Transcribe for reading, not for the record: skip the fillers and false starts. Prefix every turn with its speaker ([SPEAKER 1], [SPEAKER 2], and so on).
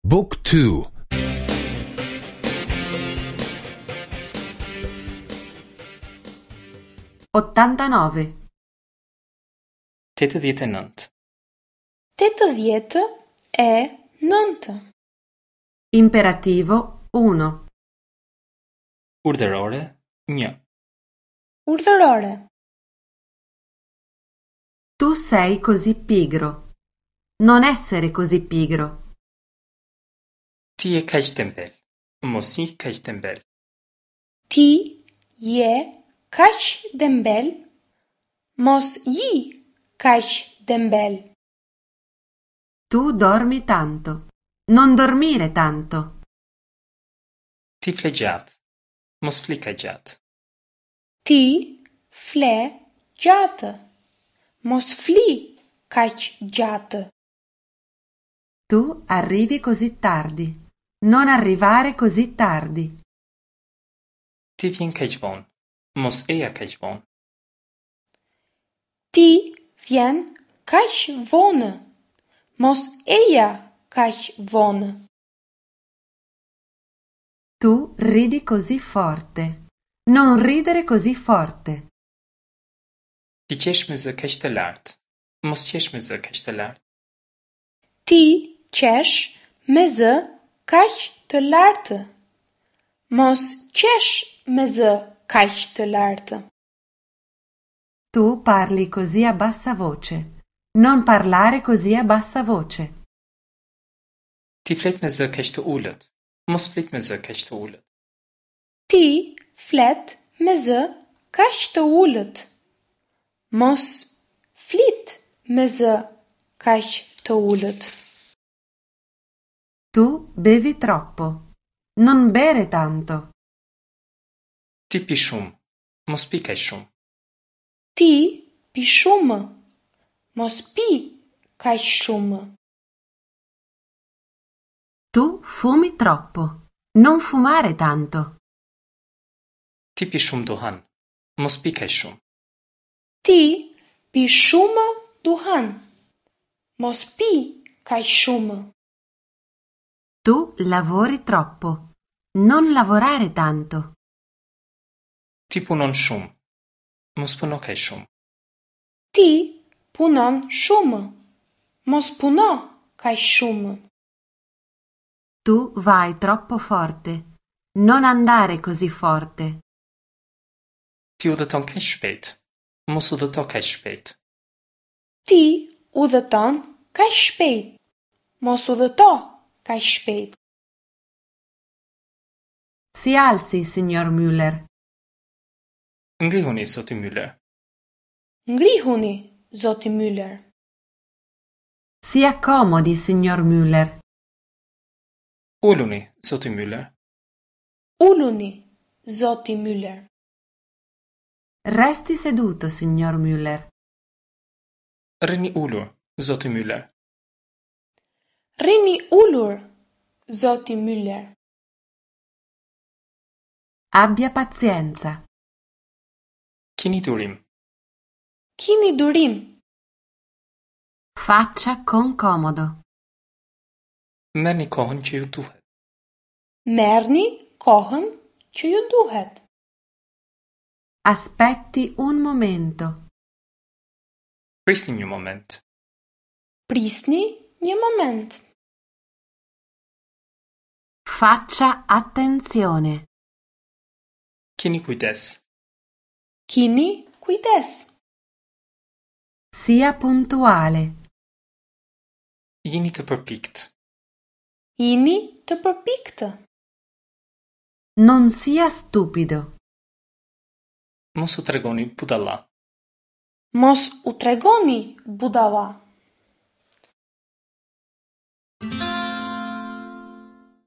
[SPEAKER 1] Book 2
[SPEAKER 2] 89.
[SPEAKER 3] 89.
[SPEAKER 4] 89.
[SPEAKER 2] Imperativo 1.
[SPEAKER 3] Urdhërore 1.
[SPEAKER 4] Urdhërore.
[SPEAKER 2] Tu sei così pigro. Non essere così pigro.
[SPEAKER 3] Ti je kaq tembel. Mos ji kaq tembel.
[SPEAKER 4] Ti je kaq dembel. Mos ji kaq dembel.
[SPEAKER 2] Tu dormi tanto. Non dormire tanto.
[SPEAKER 3] Ti fle gjatë. Mos fli kaq gjatë.
[SPEAKER 4] Ti fle gjatë. Mos fli kaq gjatë.
[SPEAKER 2] Tu arrivi così tardi. Non arrivare così tardi.
[SPEAKER 3] Ti vjen kaq vonë. Mos eja kaq vonë.
[SPEAKER 4] Ti vjen kaq vonë. Mos eja kaq vonë.
[SPEAKER 2] Tu ridi così forte. Non ridere così forte.
[SPEAKER 3] Ti qesh me zë kaq të lartë. Mos qesh me zë kaq të lartë.
[SPEAKER 4] Ti qesh me zë kaq të lartë. Mos qesh me zë kaq të lartë.
[SPEAKER 2] Tu parli così a bassa voce. Non parlare così a bassa voce.
[SPEAKER 3] Ti flet me zë kaq të ulët. Mos flit me zë kaq të ulët.
[SPEAKER 4] Ti flet me zë kaq të ulët. Mos flit me zë kaq të ulët.
[SPEAKER 2] Tu bevi troppo. Non bere tanto.
[SPEAKER 3] Ti pi shumë. Mos pi kaq shumë.
[SPEAKER 4] Ti pi shumë. Mos pi kaq shumë.
[SPEAKER 2] Tu fumi troppo. Non fumare tanto.
[SPEAKER 3] Ti pi shumë duhan. Mos pi kaq shumë.
[SPEAKER 4] Ti pi shumë duhan. Mos pi kaq shumë.
[SPEAKER 2] Tu lavori troppo. Non lavorare tanto.
[SPEAKER 3] Ti punon shumë. Mos puno kaq shumë.
[SPEAKER 4] Ti punon shumë. Mos puno kaq shumë.
[SPEAKER 2] Tu vai troppo forte. Non andare così forte.
[SPEAKER 3] Ti udhëton kaq shpejt. Mos udhëto kaq shpejt.
[SPEAKER 4] Ti udhëton kaq shpejt. Mos udhëto kaq shpejt.
[SPEAKER 2] Si alzi, signor Müller.
[SPEAKER 3] Ngrihuni, zoti Müller.
[SPEAKER 4] Ngrihuni, zoti Müller.
[SPEAKER 2] Si accomodi, signor Müller.
[SPEAKER 3] Uluni, zoti Müller.
[SPEAKER 4] Uluni, zoti Müller.
[SPEAKER 2] Resti seduto, signor Müller.
[SPEAKER 3] Rrini ulur, zoti Müller.
[SPEAKER 4] Rrini ulur, zoti Müller.
[SPEAKER 2] Abbia pazienza.
[SPEAKER 3] Kini durim.
[SPEAKER 4] Kini durim.
[SPEAKER 2] Faccia con comodo.
[SPEAKER 3] Merrni kohën që ju duhet.
[SPEAKER 4] Merrni kohën që ju duhet.
[SPEAKER 2] Aspetti un momento.
[SPEAKER 3] Prisni një moment.
[SPEAKER 4] Prisni një moment.
[SPEAKER 2] Faccia attenzione.
[SPEAKER 3] Kini kujdes.
[SPEAKER 4] Kini kujdes.
[SPEAKER 2] Sia puntuale.
[SPEAKER 3] Jini të përpikt.
[SPEAKER 4] Jini të përpiktë.
[SPEAKER 2] Non sia stupido.
[SPEAKER 3] Mos u tregoni budalla.
[SPEAKER 4] Mos u tregoni budalla.